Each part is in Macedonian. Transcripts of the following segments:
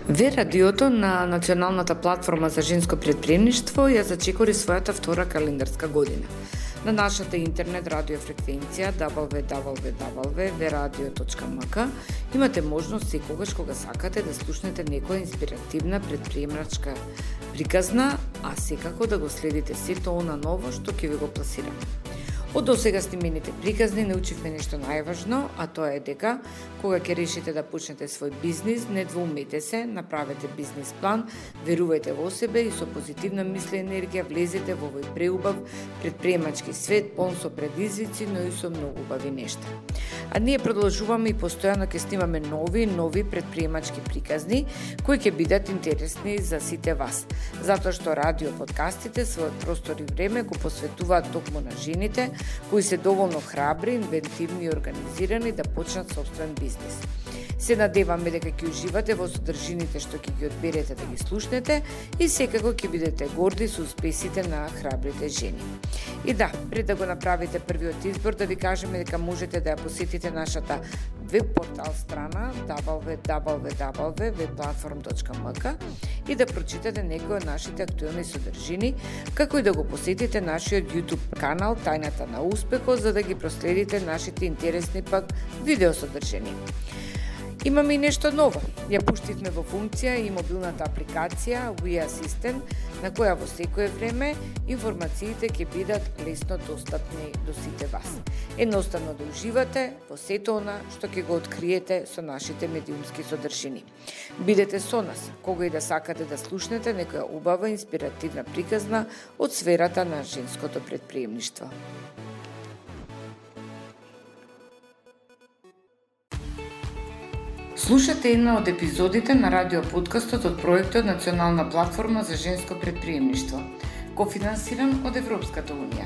Ве радиото на Националната платформа за женско претприемништво ја зачекори својата втора календарска година. На нашата интернет радиофреквенција www.veradio.mk имате можност секогаш кога сакате да слушнете некоја инспиративна претприемачка приказна, а секако да го следите сето она ново што ќе ви го пласираме. Од досега снимените приказни научивме нешто најважно, а тоа е дека кога ќе решите да почнете свој бизнис, не двоумете се, направете бизнис план, верувајте во себе и со позитивна мисла и енергија влезете во овој преубав претприемачки свет, полн со предизвици, но и со многу убави нешта. А ние продолжуваме и постојано ќе снимаме нови претприемачки приказни кои ќе бидат интересни за сите вас, затоа што радио подкастите својот простор и време го посветуваат токму на жените кои се доволно храбри, инвентивни и организирани да почнат сопствен бизнис. Се надеваме дека ќе уживате во содржините што ќе ги одберете да ги слушнете и секако ќе бидете горди со успесите на храбрите жени. И да, пред да го направите првиот избор, да ви кажеме дека можете да ја посетите нашата веб портал страна www.webplatform.mk и да прочитате некои од нашите актуелни содржини, како и да го посетите нашиот YouTube канал Тајната на успехот, за да ги проследите нашите интересни пак видеосодржини. Имаме и нешто ново. Ја пуштивме во функција и мобилната апликација We Assistant, на која во секое време информациите ќе бидат лесно достапни до сите вас. Едноставно да уживате во сето она што ќе го откриете со нашите медиумски содржини. Бидете со нас, кога и да сакате да слушнете некоја убава инспиративна приказна од сферата на женското претприемништво. Слушате една од епизодите на радиоподкастот од проектот Национална платформа за женско претприемништво, кофинансиран од Европската унија.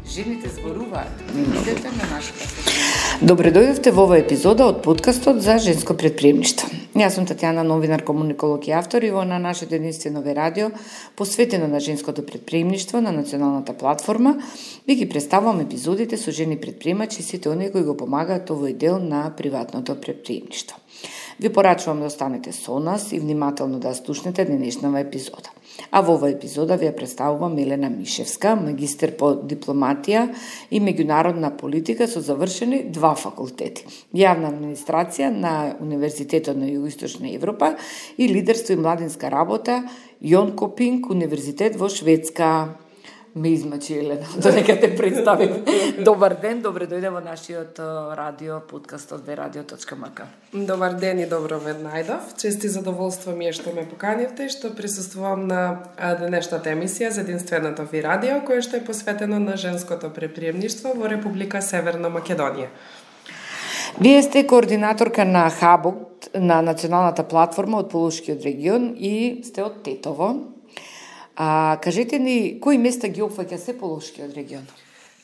Жените зборуваат. Идете на нашата сесија. Добре дојдовте во оваа епизода од подкастот за женско претприемништво. Јас сум Татјана, новинар, комуниколог и автор, и во на нашето единствено радио, посветено на женското претприемништво на Националната платформа, ви ги представувам епизодите со жени претприемачи и сите оние кои го помагаат овој дел на приватното претприемништво. Ви порачувам да останете со нас и внимателно да слушнете денешнава епизода. А во оваа епизода ви ја представувам Елена Мишевска, магистер по дипломатија и меѓународна политика со завршени 2 факултети. Јавна администрација на Универзитетот на Југоисточна Европа и лидерство и младинска работа Јонкопинг универзитет во Шведска. Ме измачи Елена, додека те представим. Добар ден, добре дојде во нашиот радио подкастот veradio.mk. Добар ден и добро ве најдов. Чест и задоволство ми е што ме поканивте и што присуствувам на денешната емисија за единственото ви радио, кое што е посветено на женското претприемништво во Република Северна Македонија. Вие сте координаторка на хабот на Националната платформа од Полошкиот регион и сте од Тетово. Кажете ни, кои места ги опфаќа се Полошкиот регион?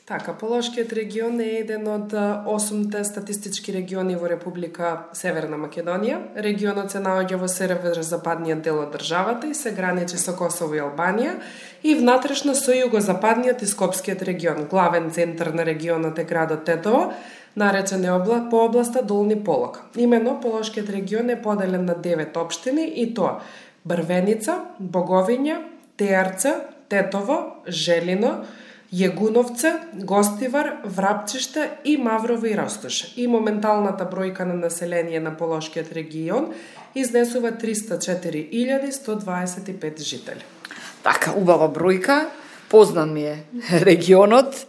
Така, Полошкиот регион е еден од 8 статистички региони во Република Северна Македонија. Регионот се наоѓа во северозападниот дел од државата и се граничи со Косово и Албанија и внатрешно со југозападниот и Скопскиот регион. Главен центар на регионот е градот Тетово, наречен по областа Долни Полок. Имено Полошкиот регион е поделен на 9 општини и тоа Брвеница, Боговиња, Теарца, Тетово, Желино, Јегуновце, Гостивар, Врапчиште и Маврово и Ростуш. И моменталната бројка на население на Полошкиот регион изнесува 304.125 жители. Така, убава бројка, познан ми е регионот,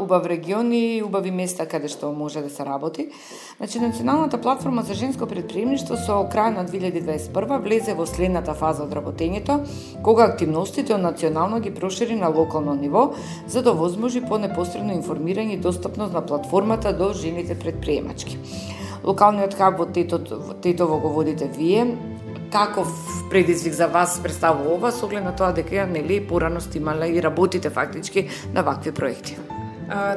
убав регион и убави места каде што може да се работи. Значи, Националната платформа за женско претприемништво со крај на 2021 влезе во следната фаза од работењето, кога активностите од национално ги прошири на локално ниво, за да возможи по-непосредно информирање и достапност на платформата до жените претприемачки. Локалниот хаб во Тетово го водите вие. Каков предизвик за вас представува ова, со оглед на тоа дека нели порано имале и работите фактички на вакви проекти?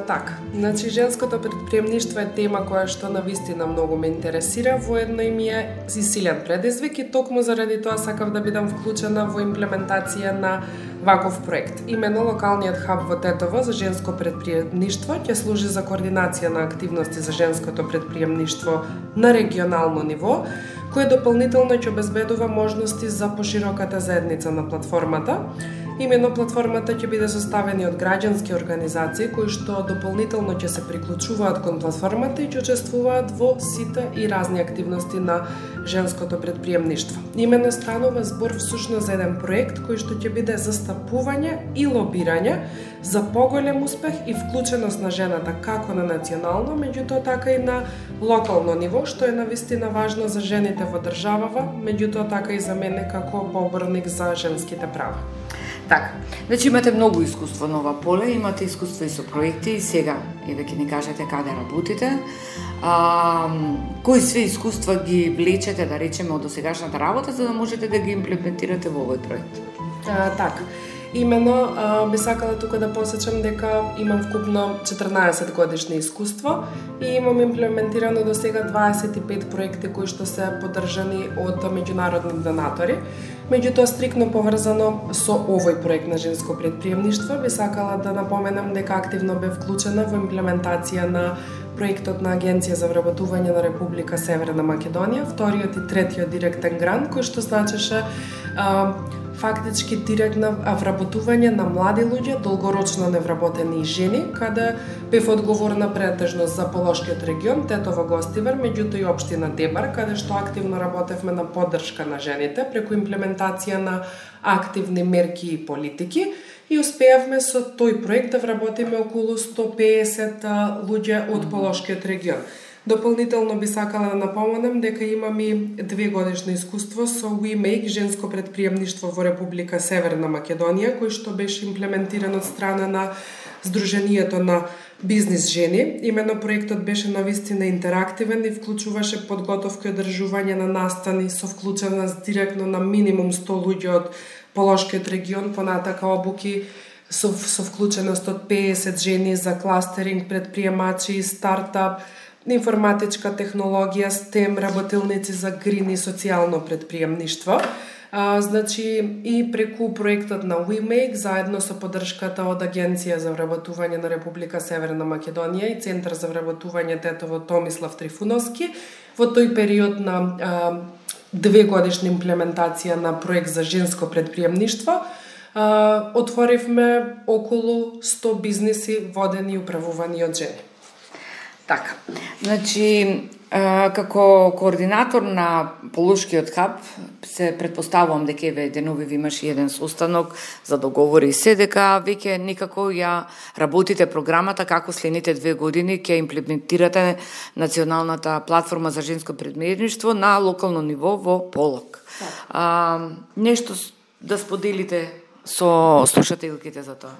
Така, значи женското претприемништво е тема која што навистина многу ме интересира, воедно и ми е силен предизвик и токму заради тоа сакав да бидам вклучена во имплементација на ваков проект. Имено локалниот хаб во Тетово за женско претприемништво ќе служи за координација на активности за женското претприемништво на регионално ниво, кој дополнително ќе обезбедува можности за пошироката заедница на платформата. Имено платформата ќе биде составена од граѓански организации кои што дополнително ќе се приклучуваат кон платформата и ќе учествуваат во сите и разни активности на женското предприемништво. Имено станува збор всушност за еден проект кој што ќе биде застапување и лобирање за поголем успех и вклученост на жената како на национално, меѓутоа така и на локално ниво, што е навистина важно за жените во државава, меѓутоа така и за мене како поборник за женските права. Така, значи имате многу искуство на ова поле, имате искуство и со проекти и сега, еве ќе ни кажете каде работите. Кои све искуства ги влечете, да речеме, од досегашната работа, за да можете да ги имплементирате во овој проект? Така. Имено, би сакала тука да посечам дека имам вкупно 14 годишни искуство и имам имплементирано до сега 25 проекти кои што се поддржани од меѓународни донатори. Меѓутоа, стрикно поврзано со овој проект на женско предприемништво, би сакала да напоменам дека активно бе вклучена во имплементација на проектот на Агенција за вработување на Република Северна Македонија, вториот и третиот директен грант, кој што значеше фактички директно вработување на млади луѓе, долгорочно невработени жени, каде бев одговорна претежно за Полошкиот регион, Тетово, Гостивар, меѓутоа и општина Дебар, каде што активно работевме на поддршка на жените преку имплементација на активни мерки и политики и успеавме со тој проект да вработиме околу 150 луѓе од Полошкиот регион. Дополнително би сакала да напоменам дека имам и 2 годишно искуство со WeMake, женско предприемништво во Република Северна Македонија, кој што беше имплементиран од страна на Сдруженијето на бизнис жени. Имено проектот беше навистина интерактивен и вклучуваше подготовка и одржување на настани со вклученост директно на минимум 100 луѓе од Полошкиот регион, понатака обуки со вклученост од 50 жени за кластеринг, предприемачи, стартап, информатичка технологија, STEM, работилници за грин и социјално предприемништво. Значи и преку проектот на WeMake, заедно со поддршката од Агенција за вработување на Република Северна Македонија и Центар за вработување Тетово Томислав Трифуновски, во тој период на 2 годишна имплементација на проект за женско предприемништво, отворивме околу 100 бизниси водени и управувани од жени. Така, значи, како координатор на Полошкиот хаб, се предпоставувам дека еве денови ви имаш еден состанок за договори и се, дека веќе никако ја работите програмата како следните 2 години ќе имплементирате националната платформа за женско предприемништво на локално ниво во Полок. Нешто да споделите со слушателките за тоа?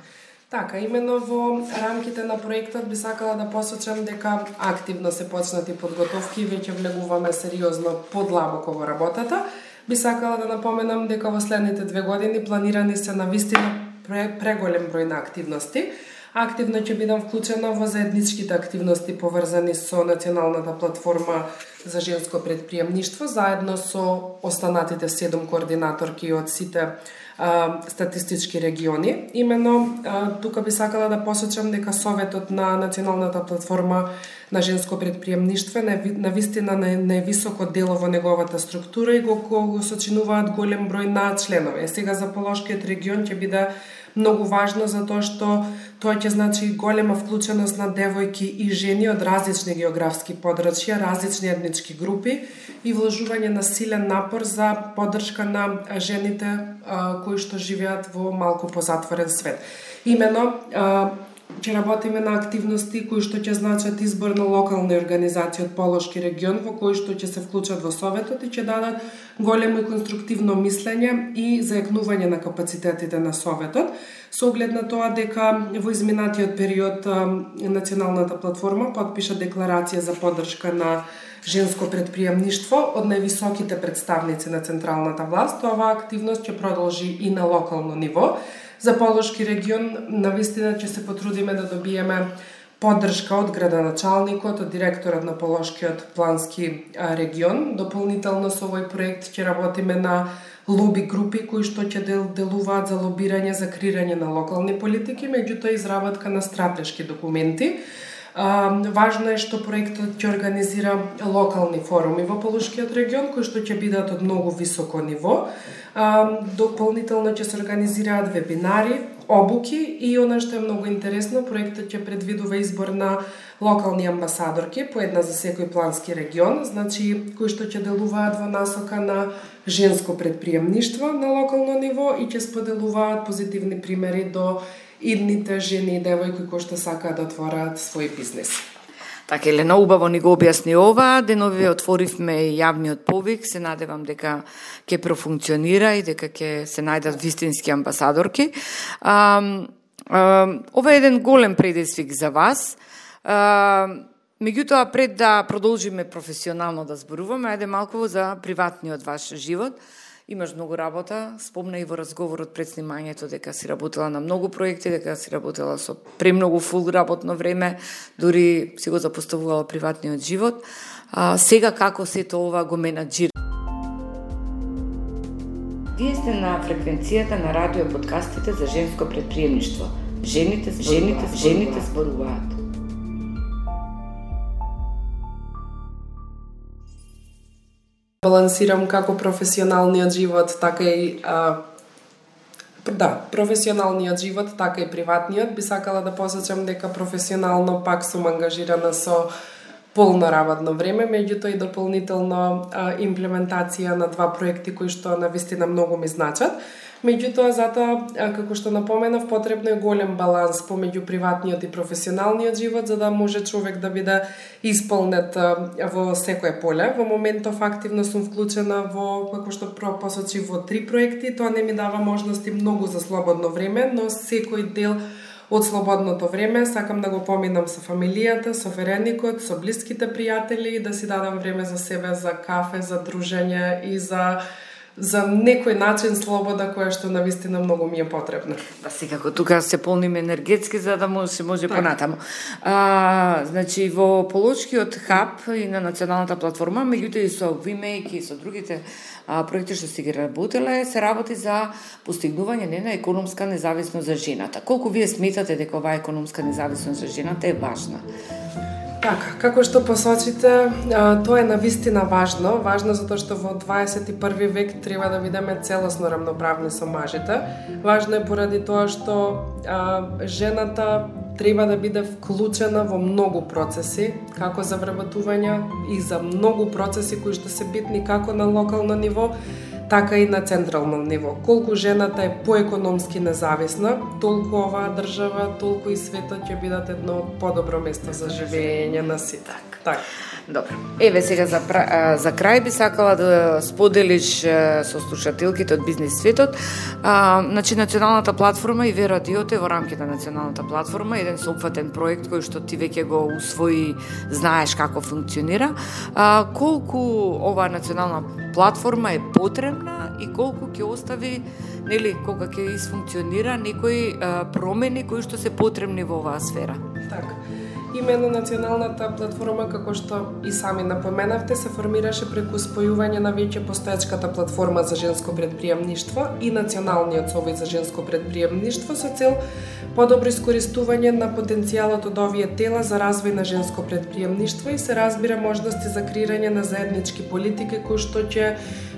Така, имено во рамките на проектот би сакала да посочам дека активно се почнати подготовки и веќе влегуваме сериозно подлабоко во работата. Би сакала да напоменам дека во следните 2 години планирани се навистина преголем број на активности. Активно ќе бидам вклучена во заедничките активности поврзани со националната платформа за женско предприемништво, заедно со останатите 7 координаторки од сите статистички региони. Имено, тука би сакала да посочам дека Советот на националната платформа на женско предприемништво на вистина највисоко дело во неговата структура и го сочинуваат голем број на членови. Сега за Полошкиот регион ќе биде многу важно затоа што тоа ќе значи голема вклученост на девојки и жени од различни географски подрачја, различни етнички групи и вложување на силен напор за поддршка на жените кои што живеат во малку позатворен свет. Имено ќе работиме на активности кои што ќе значат избор на локални организации од Полошки регион во кои што ќе се вклучат во Советот и ќе дадат големо и конструктивно мислење и зајакнување на капацитетите на Советот, со оглед на тоа дека во изминатиот период националната платформа подпиша декларација за поддршка на женско предприемништво од највисоките представници на централната власт. Оваа активност ќе продолжи и на локално ниво. За Полошки регион навистина ќе се потрудиме да добиеме поддршка од градоначалникот, од директорот на Полошкиот плански регион. Дополнително со овој проект ќе работиме на лоби групи кои што ќе делуваат за лобирање за креирање на локални политики, меѓутоа изработка на стратешки документи. Важно е што проектот ќе организира локални форуми во Полошкиот регион, кои што ќе бидат од многу високо ниво. Дополнително ќе се организираат вебинари, обуки и она што е многу интересно, проектот ќе предвидува избор на локални амбасадорки, по една за секој плански регион, значи кои што ќе делуваат во насока на женско предприемништво на локално ниво и ќе споделуваат позитивни примери до идните жени и девојки кои што сакаат да отвораат свој бизнес. Така, Елена, убаво ни го објасни ова, денови отворивме јавниот повик, се надевам дека ќе профункционира и дека ќе се најдат вистински амбасадорки. Ова е еден голем предизвик за вас. Меѓутоа, пред да продолжиме професионално да зборуваме, ајде малку за приватниот ваш живот. Имаш многу работа, спомна и во разговорот пред снимањето дека си работела на многу проекти, дека си работела со премногу фул работно време, дури си го запоставувала приватниот живот. Сега како сето ова го менаџира? Вие сте на фреквенцијата на радио подкастите за женско предприемништво. Жените зборуваат. Балансирам како професионалниот живот, така и професионалниот живот, така и приватниот. Би сакала да посочам дека професионално пак сум ангажирана со полно работно време, меѓутоа и дополнително имплементација на 2 проекти кои што навистина многу ми значат. Меѓутоа, затоа, како што напоменав, потребно е голем баланс помеѓу приватниот и професионалниот живот, за да може човек да биде исполнет во секое поле. Во моментов активно сум вклучена во, како што посочи, во 3 проекти. Тоа не ми дава можности многу за слободно време, но секој дел од слободното време сакам да го поминам со фамилијата, со вереникот, со блиските пријатели и да си дадам време за себе, за кафе, за дружење и за некој начин слобода која што навистина многу ми е потребна. Да, секако тука се полниме енергетски за да може понатаму. Значи во Полошкиот хаб и на националната платформа, меѓутоа и со WeMake и со другите проекти што си ги работеле, се работи за постигнување на економска независност за жената. Колку вие сметате дека оваа економска независност за жената е важна? Така, како што посочите, тоа е навистина важно. Важно затоа што во 21 век треба да бидеме целосно рамноправни со мажите. Важно е поради тоа што жената треба да биде вклучена во многу процеси, како за вработување и за многу процеси кои што се битни како на локално ниво, така и на централно ниво. Колку жената е поекономски независна, толку оваа држава, толку и светот ќе бидат едно подобро место за живење на сите. Так. Добро. Еве сега за крај би сакала да споделиш со слушателките од бизнес светот. Значи националната платформа и Радиото е во рамките на националната платформа еден соопфатен проект кој што ти веќе го усвои, знаеш како функционира. Колку оваа национална платформа е потребна и колку ќе остави, нели, кога ќе исфункционира некои промени кои што се потребни во оваа сфера. Така. Именно националната платформа, како што и сами напоменавте, се формираше преку спојување на веќе постоечката платформа за женско предприемништво и националниот совет за женско предприемништво со цел подобро искористување на потенцијалот од овие тела за развој на женско предприемништво и се разбира можности за креирање на заеднички политики кои што ќе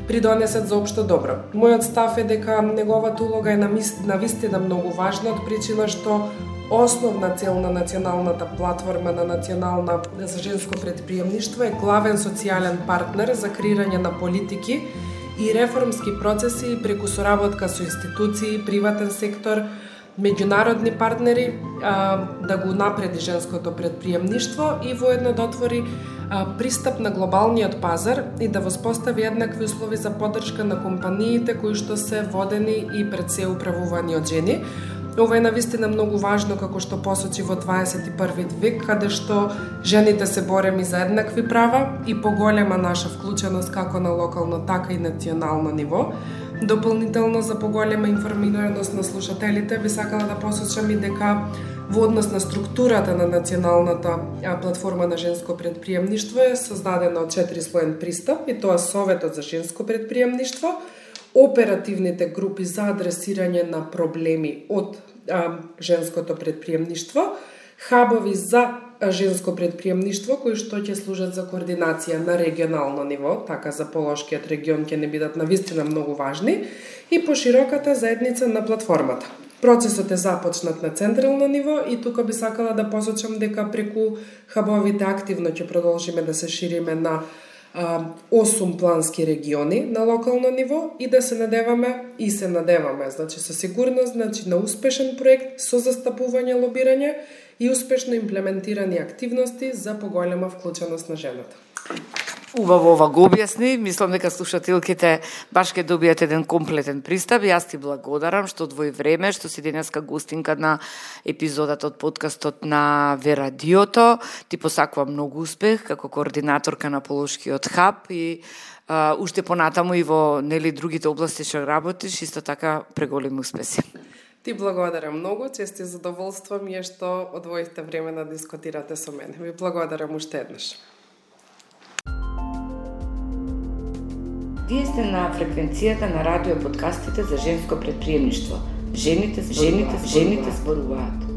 придонесат за општо добро. Мојот став е дека неговата улога е навистина многу важна од причина што основна цел на националната платформа на национална за женско предприемништво е главен социјален партнер за креирање на политики и реформски процеси преку соработка со институции, приватен сектор, меѓународни партнери, да го напреди женското предприемништво и воедно да отвори пристап на глобалниот пазар и да воспостави еднакви услови за поддршка на компаниите кои што се водени и пред се управувани од жени. Ова е навистина многу важно, како што посочи во 21 век, каде што жените се бореми за еднакви права и поголема наша вклученост како на локално, така и национално ниво. Дополнително за поголема информираност на слушателите, би сакала да посочам и дека во однос на структурата на националната платформа на женско предприемништво е создадена од 4-слоен пристап, и тоа Советот за женско предприемништво, оперативните групи за адресирање на проблеми од женското предприемништво, хабови за женско предприемништво кои што ќе служат за координација на регионално ниво, така за Полошкиот регион ќе не бидат навистина многу важни, и пошироката заедница на платформата. Процесот е започнат на централно ниво и тука би сакала да посочам дека преку хабовите активно ќе продолжиме да се шириме на 8 плански региони на локално ниво и да се надеваме, значи со сигурност, значи на успешен проект со застапување лобирање и успешно имплементирани активности за поголема вклученост на жената. Убаво ова го објасни, мислам дека слушателките баш ќе добијат еден комплетен пристап. Јас ти благодарам што одвои време, што си денеска гостинка на епизодата од подкастот на Верадиото. Ти посакувам многу успех како координаторка на Полошкиот хаб и уште понатаму и во другите области што работиш, исто така преголеми успеси. Ти благодарам многу, чест и задоволство ми е што одвоите време да дискутирате со мене. Ви благодарам уште еднаш. Вие сте на фреквенцијата на радио подкастите за женско предприемништво. Жените зборуваат.